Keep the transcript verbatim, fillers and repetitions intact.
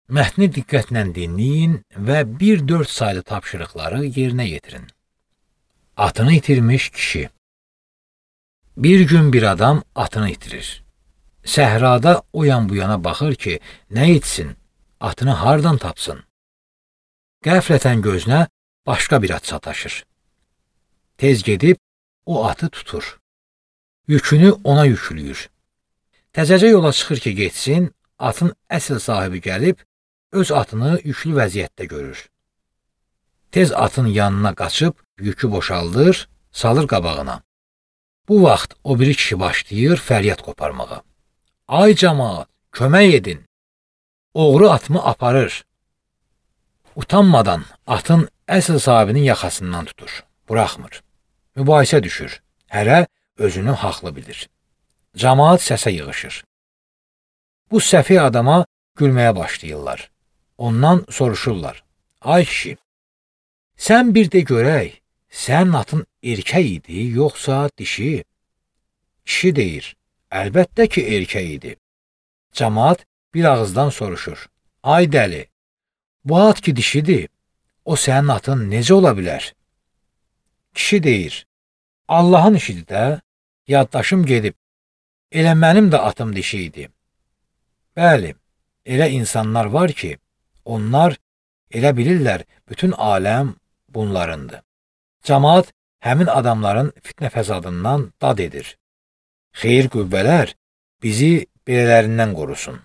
Mətni diqqətlə dinləyin və bir dörd saylı tapşırıqları yerinə yetirin. Atını itirmiş kişi. Bir gün bir adam atını itirir. Səhrada o yan bu yana baxır ki, nə etsin, atını hardan tapsın? Qəflətən gözünə başqa bir at sataşır. Tez gedib o atı tutur. Yükünü ona yüklüyür. Təzəcə yola çıxır ki, getsin, atın əsl sahibi gəlib, öz atını yüklü vəziyyətdə görür. Tez atın yanına qaçıb, yükü boşaldır, salır qabağına. Bu vaxt o biri kişi başlayır fəryad qoparmağa. Ay camaat, kömək edin! Oğru atımı aparır. Utanmadan atın əsl sahibinin yaxasından tutur, buraxmır. Mübahisə düşür, hərə özünü haqlı bilir. Camaat səsə yığışır. Bu səfi adama gülməyə başlayırlar. Ondan soruşurlar. Ay kişi, sən bir də görək, sənin atın erkək idi, yoxsa dişi? Kişi deyir, əlbəttə ki, erkək idi. Camaat bir ağızdan soruşur. Ay dəli, bu at ki dişidir, o sənin atın necə ola bilər? Kişi deyir, Allahın işidir də, yaddaşım gedib, elə mənim də atım dişi idi. Bəli, elə insanlar var ki, onlar elə bilirlər bütün aləm bunlarındır. Camaat həmin adamların fitnə fəsadından dad edir. Xeyir qüvvələr bizi belələrindən qorusun.